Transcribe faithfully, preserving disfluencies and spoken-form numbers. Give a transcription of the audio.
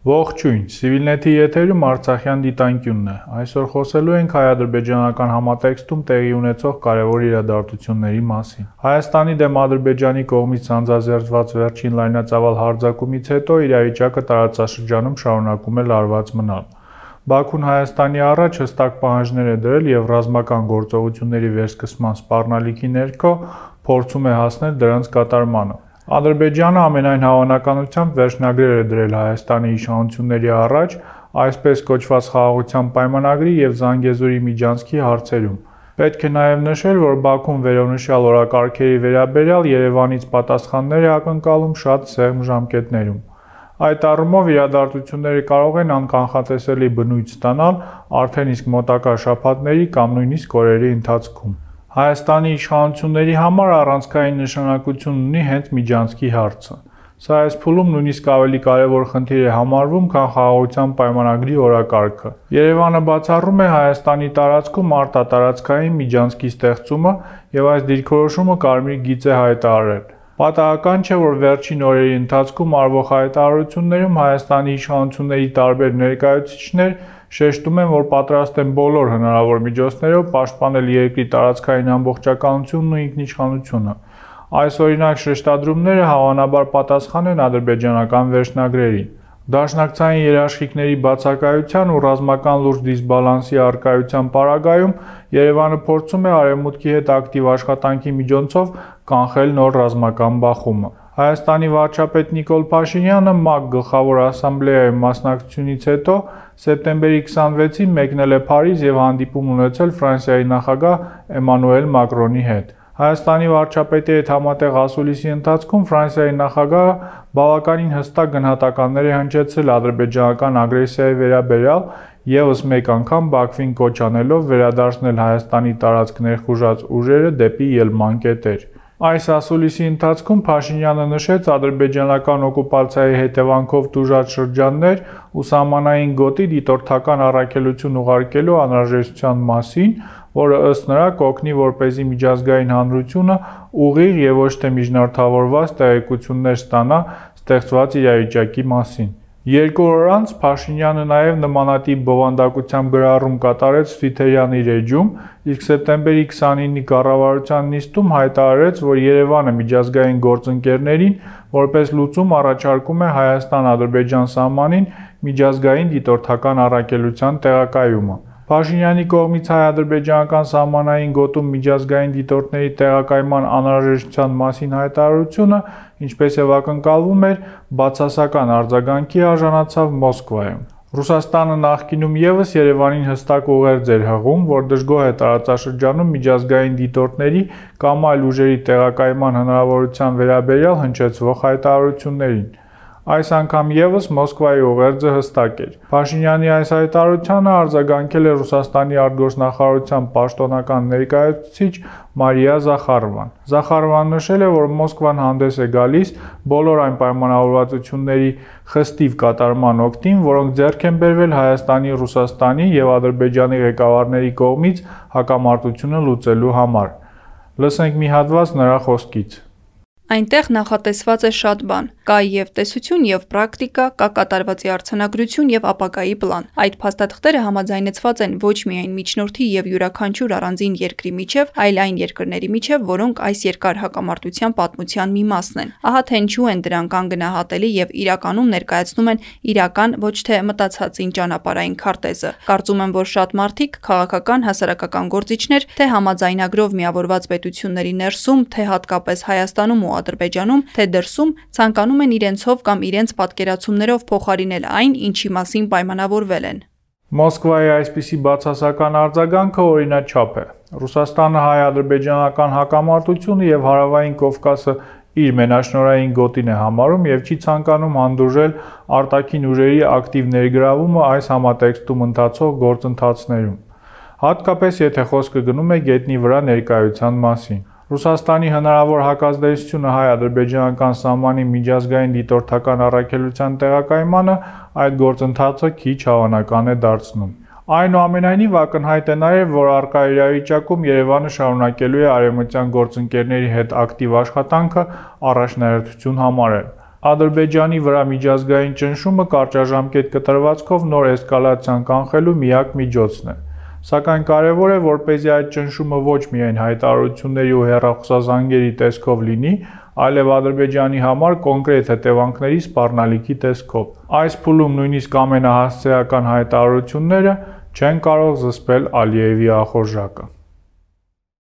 Ողջույն, Civilnet-ի եթերում Արցախյան դիտանկյունն է։ Այսօր խոսելու ենք հայ-ադրբեջանական համատեքստում տեղի ունեցող կարևոր իրադարձությունների մասին։ Հայաստանի դեմ Ադրբեջանի կողմից անձանձերծված վերջին լայնածավալ հարձակումից հետո իրավիճակը տարածաշրջանում շարունակում է լարված մնալ։ Բաքուն Հայաստանի առաջ հստակ պահանջներ է դրել և ռազմական գործողությունների վերսկսման սպառնալիքի ներքո փորձում է հասնել դրանց կատարմանը։ Ադրբեջանը ամենայն հավանականությամբ վերջնագրեր է դրել Հայաստանի իշխանությունների առաջ այսպես կոչված խաղաղության պայմանագրի և Զանգեզուրի միջանցքի հարցերում։ Պետք է նաև նշել, որ Բաքուն վերոնշյալ օրակարգերի վերաբերյալ Երևանից պատասխաններ է ակնկալում շատ սեղմ ժամկետներում։ Այդ առումով իրադարձությունները կարող են անկանխատեսելի բնույթ ստանալ արդեն իսկ մոտակա շաբաթների կամ նույնիսկ օրերի ընթացքում։ Հայաստանի իշխանությունների համար առանցքային նշանակություն ունի հենց միջանցքի հարցը։ Սա այս փուլում նույնիսկ ավելի կարևոր խնդիր է համարվում, քան խաղաղության պայմանագրի օրակարգը։ Երևանը բացառում է Հայաստանի տարածքում արտատարածքային միջանցքի ստեղծումը և այս դիրքորոշումը կարմիր գիծ է հայտարարել։ Պատահական չէ, որ վերջին օրերի ընթացքում արվող հայտարարություններում Հայաստանի իշխանությունների տարբեր ներկայացուցիչներ շեշտում են, որ պատրաստ են բոլոր հնարավոր միջոցներով պաշտպանել երկրի տարածքային ամբողջականությունն ու ինքնիշխանությունը։ Այս օրինակ շեշտադրումները հավանաբար պատասխան են ադրբեջանական վերջնագրերին։ Դաշնակցային երաշխիքների բացակայության ու ռազմական լուրջ դիսբալանսի առկայության պարագայում Երևանը փորձում է Արևմուտքի հետ ակտիվ աշխատանքի միջոցով կանխել նոր ռազմական բախումը։ Հայաստանի վարչապետ Նիկոլ Փաշինյանը ՄԱԿ Գլխավոր ասամբլեայում մասնակցությունից հետո սեպտեմբերի քսանվեցին մեկնել է Փարիզ և հանդիպում ունեցել Ֆրանսիայի նախագահ Էմանուել Մակրոնի հետ։ Հայաստանի վարչապետի հետ համատեղ ասուլիսի ընթացքում Ֆրանսիայի նախագահը բավականին հստակ գնահատականներ է հնչեցրել ադրբեջանական ագրեսիայի վերաբերյալ, ևս մեկ անգամ Բաքվին կոչ անելով վերադարձնել Հայաստանի տարածք ներխուժած ուժերը դեպի ելման կետեր։ Այս ասուլիսի ընթացքում Փաշինյանը նշեց ադրբեջանական օկուպացիայի հետևանքով տուժած շրջաններ ու սահմանային գոտի դիտորդական առաքելություն ուղարկելու անհրաժեշտության մասին, որը ըստ նրա կօգնի, որպեսզի միջազգային հանրությունը ուղիղ և ոչ թե միջնորդավորված տեղեկություններ ստանա ստեղծված իրավիճակի մասին։ Երկու օր անց Փաշինյանը նաև նմանատիպ բովանդակությամբ գրառում կատարեց Թվիթերյան իր էջում, իսկ սեպտեմբերի քսանինի կառավարության նիստում հայտարարեց, որ Երևանը միջազգային գործընկերներին որպես լուծում առաջարկում է Հայաստան-Ադրբեջան սահմանին միջազգային դիտորդական առաքելության տեղակայումը։ Փաշինյանի կողմից հայ-ադրբեջանական սահմանային գոտում միջազգային դիտորդների տեղակայման անհրաժեշտության մասին հայտարարությունը, ինչպես և ակնկալվում էր, բացասական արձագանքի արժանացավ Մոսկվայում։ Ռուսաստանը նախկինում ևս Երևանին հստակ ուղերձ էր հղում, որ դժգոհ է տարածաշրջանում միջազգային դիտորդների կամ այլ ուժերի տեղակայման հնարավորության վերաբերյալ հնչեցվող հայտարարություններին։ Այս անգամ ևս Մոսկվայի ուղերձը հստակ էր։ Փաշինյանի այս հայտարարությանը արձագանքել է Ռուսաստանի արտգործնախարարության պաշտոնական ներկայացուցիչ Մարիա Զախարովան։ Զախարովան նշել է, որ Մոսկվան հանդես է գալիս բոլոր այն պայմանավորվածությունների խստիվ կատարման օգտին, որոնք ձեռք են բերվել Հայաստանի, Ռուսաստանի և Ադրբեջանի ղեկավարների կողմից հակամարտությունը լուծելու համար։ Լսենք մի հատված նրա խոսքից։ Այնտեղ նախատեսված է շատ բան։ Կա և տեսություն, և պրակտիկա, կա կատարվածի արձանագրություն և ապագայի պլան։ Այդ փաստաթղթերը համաձայնեցված են ոչ միայն միջնորդի և յուրաքանչյուր առանձին երկրի միջև, այլ այն երկրների միջև, որոնք այս երկար հակամարտության պատմության մի մասն են։ Ահա թե ինչու են դրանք անգնահատելի և իրականում ներկայացնում են իրական, ոչ թե մտածածին ճանապարհային քարտեզը։ Կարծում եմ, որ շատ մարդիկ, քաղաքական, հասարակական գործիչներ, թե համաձայնագրով միավորված պետությունների ներսում, թե հատկապես Հայաստանում ու Ադրբեջանում, թե դրսում, ցանկանում են իրենցով կամ իրենց պատկերացումներով փոխարինել այն, ինչի մասին պայմանավորվել են։ Մոսկվայի այսպիսի բացասական արձագանքը օրինաչափ է։ Ռուսաստանը հայ-ադրբեջանական հակամարտությունը և Հարավային Կովկասը իր մենաշնորհային գոտին է համարում և չի ցանկանում հանդուրժել արտաքին ուժերի ակտիվ ներգրավումը այս համատեքստում ընթացող գործընթացներում, հատկապես եթե խոսքը գնում է գետնի վրա ներկայության մասին։ Ռուսաստանի հնարավոր հակազդեցությունը հայ-ադրբեջանական սահմանի միջազգային դիտորդական առաքելության տեղակայմանը այդ գործընթացը քիչ հավանական է դարձնում։ Այնուամենայնիվ ակնհայտ է նաև, որ առկա իրավիճակում Երևանը շարունակելու է արևմտյան գործընկերների հետ ակտիվ աշխատանքը առաջնահերթություն համարել։ Ադրբեջանի վրա միջազգային ճնշումը կարճաժամկետ կտրվածքով նոր էսկալացիան կանխելու միակ միջոցն է։ Սակայն կարևոր է, որպեսզի այդ ճնշումը ոչ միայն հայտարարությունների ու հեռախոսազանգերի տեսքով լինի, այլև Ադրբեջանի համար կոնկրետ հետևանքների սպառնալիքի տեսքով։ Այս փուլում նույնիսկ ամենահասցեական հայտարարությունները չեն կարող զսպել Ալիևի ախորժակը։